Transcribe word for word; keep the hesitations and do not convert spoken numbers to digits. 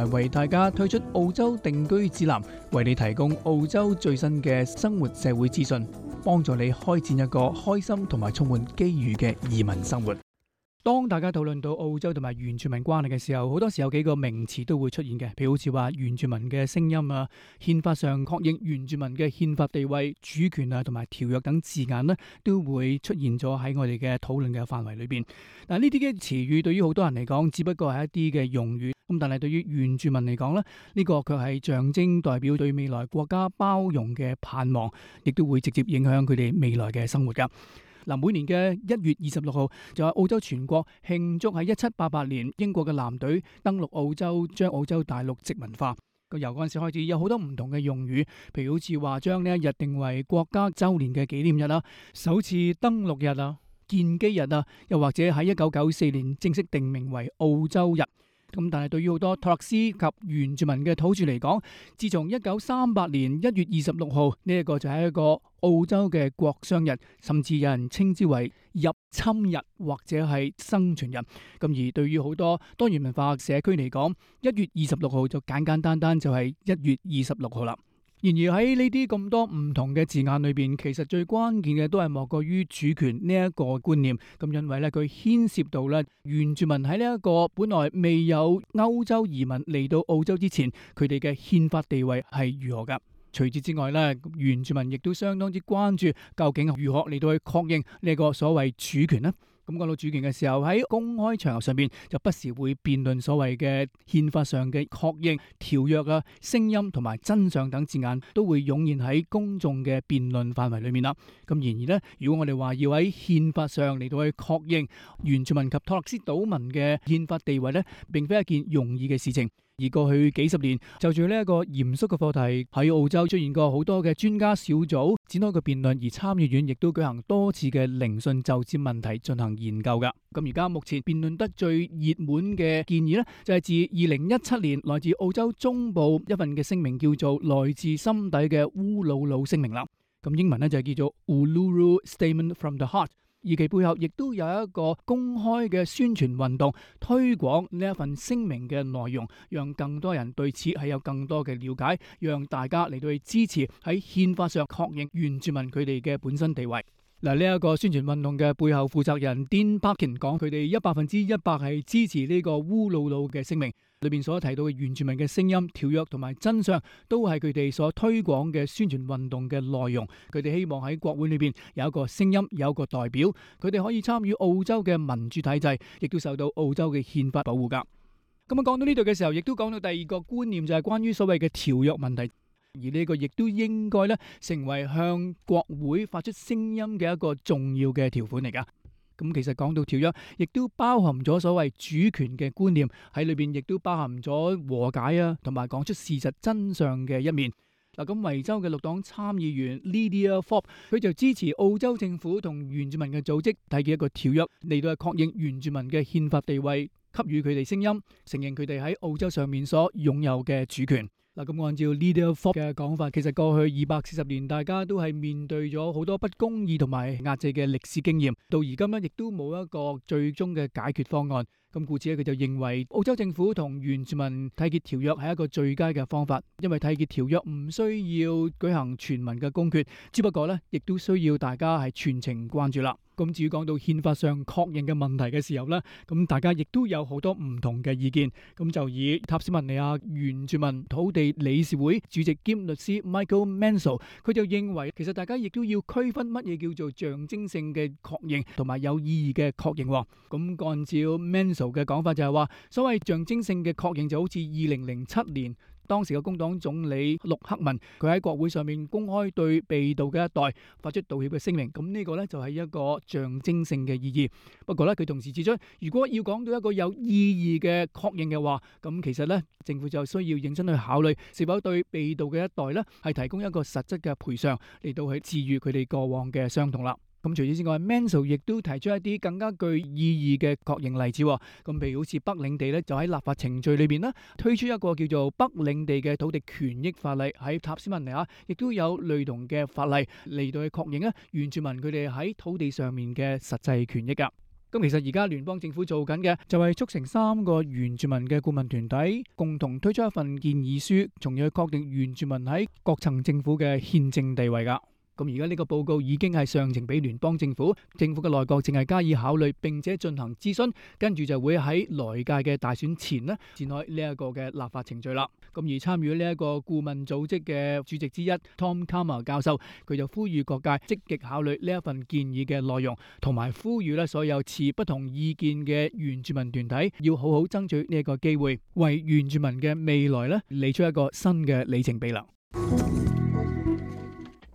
為大家推出澳洲定居指南，為你提供澳洲最新嘅生活社會資訊，幫助你開展一個開心同埋充滿機遇嘅移民生活。當大家討論到澳洲同埋原住民關係嘅時候，好多時有幾個名詞都會出現嘅，譬如好似話原住民嘅聲音啊、憲法上確認原住民嘅憲法地位、主權啊同埋條約等字眼呢，都會出現咗喺我哋嘅討論嘅範圍裏邊。嗱，呢啲嘅詞語對於好多人嚟講，只不過係一啲嘅用語，咁但係對於原住民嚟講呢，呢個卻係象徵代表對未來國家包容嘅盼望，亦都會直接影響佢哋未來嘅生活噶。嗱，每年嘅一月二十六號就係澳洲全國慶祝喺一七八八年英國嘅艦隊登陸澳洲，將澳洲大陸殖民化。咁由嗰陣時開始，有好多唔同嘅用語，譬如好似話將呢一日定為國家週年嘅紀念日啦、首次登陸日啊、建基日啊，又或者喺一九九四年正式定名為澳洲日。咁但係對於好多托勒斯及原住民嘅土著嚟講，自從一九三八年一月二十六號呢一個就係一個澳洲嘅國殤日，甚至有人稱之為入侵日或者係生存日。咁而對於好多多元文化社區嚟講，一月二十六號就簡簡單單就係一月二十六號啦。然而喺呢啲咁多唔同嘅字眼裏邊，其實最關鍵嘅都係莫過於主權呢一個觀念。咁因為咧，佢牽涉到咧原住民喺呢一個本來未有歐洲移民嚟到澳洲之前，佢哋嘅憲法地位係如何噶？除此之外咧，原住民亦都相當之關注究竟如何嚟到去確認呢個所謂主權呢？咁講到主權嘅時候，喺公開場合上邊就不時會辯論所謂嘅憲法上嘅確認、條約啊、聲音同埋真相等字眼，都會湧現喺公眾嘅辯論範圍裏面啦。咁然而呢，如果我哋話要喺憲法上嚟到去確認原住民及托勒斯島民嘅憲法地位呢，並非一件容易嘅事情。而過去幾十年，就住呢一個嚴肅嘅課題，喺澳洲出現過好多嘅專家小組展開個辯論，而參議院亦都舉行多次嘅聆訊就此問題進行研究噶。咁而家目前辯論得最熱門嘅建議呢，就係自二零一七年來自澳洲中部一份嘅聲明，叫做來自心底嘅烏魯魯聲明啦。咁英文呢，就係叫做 Uluru Statement from the Heart。而其背後亦都有一個公開嘅宣傳運動，推廣呢一份聲明嘅內容，讓更多人對此係有更多嘅了解，讓大家嚟到去支持喺憲法上確認原住民佢哋嘅本身地位。嗱，呢一個宣傳運動嘅背後負責人 Dean Parkin 講，佢哋一百分之一百係支持呢個烏魯魯嘅聲明裏邊所提到嘅原住民嘅聲音、條約同埋真相，都係佢哋所推廣嘅宣傳運動嘅內容。佢哋希望喺國會裏邊有一個聲音，有一個代表，佢哋可以參與澳洲嘅民主體制，亦都受到澳洲嘅憲法保護噶。咁啊，講到呢度嘅時候，亦都講到第二個觀念，就係關於所謂嘅條約問題。而呢個亦都應該咧成為向國會發出聲音嘅一個重要嘅條款嚟噶。咁其實講到條約，亦都包含咗所謂主權嘅觀念喺裏邊，亦都包含咗和解啊，同埋講出事實真相嘅一面。嗱，咁維州嘅綠黨參議員 Lydia Forbes， 佢就支持澳洲政府同原住民嘅組織締結一個條約，嚟到去確認原住民嘅憲法地位，給予佢哋聲音，承認佢哋喺澳洲上面所擁有嘅主權。嗱，咁按照 Lydia Forbes 嘅講法，其實過去二百四十年，大家都係面對咗好多不公義同埋壓制嘅歷史經驗，到而今呢，亦都冇一個最終嘅解決方案。咁故此咧，佢就認為澳洲政府同原住民締結條約係一個最佳嘅方法，因為締結條約唔需要舉行全民嘅公決，只不過咧，亦都需要大家係全程關注啦。咁至於講到憲法上確認嘅問題嘅時候呢，咁大家亦都有好多唔同嘅意見。咁就以塔斯曼尼亞原住民土地理事會主席兼律師 Michael Mansell， 佢就認為其實大家亦都要區分乜嘢叫做象徵性嘅確認同埋有意義嘅確認。咁按照 Mansell 嘅講法就係話，所謂象徵性嘅確認就好似二零零七年。當時嘅工黨總理陸克文，佢喺國會上面公開對被盜嘅一代發出道歉嘅聲明，咁呢個呢，就係一個象徵性嘅意義。不過呢，佢同時指出，如果要講到一個有意義嘅確認嘅話，咁其實呢，政府就需要認真去考慮是否對被盜嘅一代呢，係提供一個實質嘅賠償嚟到去治癒佢哋過往嘅傷痛啦。咁除此之外 Mansell 亦都提出一啲更加具意義嘅確認例子。咁譬如好似北領地咧，就喺立法程序裏邊咧推出一個叫做北領地嘅土地權益法例，喺塔斯曼尼亞亦都有類同嘅法例嚟到去確認咧原住民佢哋喺土地上面嘅實際權益噶。咁咁其實而家聯邦政府做緊嘅就係促成三個原住民嘅顧問團體共同推出一份建議書，從而去確定原住民喺各層政府嘅憲政地位噶。咁而家呢個報告已經係上呈俾聯邦政府，政府嘅內閣淨係加以考慮，並且進行諮詢，跟住就會喺來屆嘅大選前呢展開呢一個嘅立法程序啦。咁而參與呢一個顧問組織嘅主席之一 Tom Cama 教授，佢就呼籲各界積極考慮呢一份建議嘅內容，同埋呼籲咧所有持不同意見嘅原住民團體要好好爭取呢一個機會，為原住民嘅未來咧理出一個新嘅里程碑啦。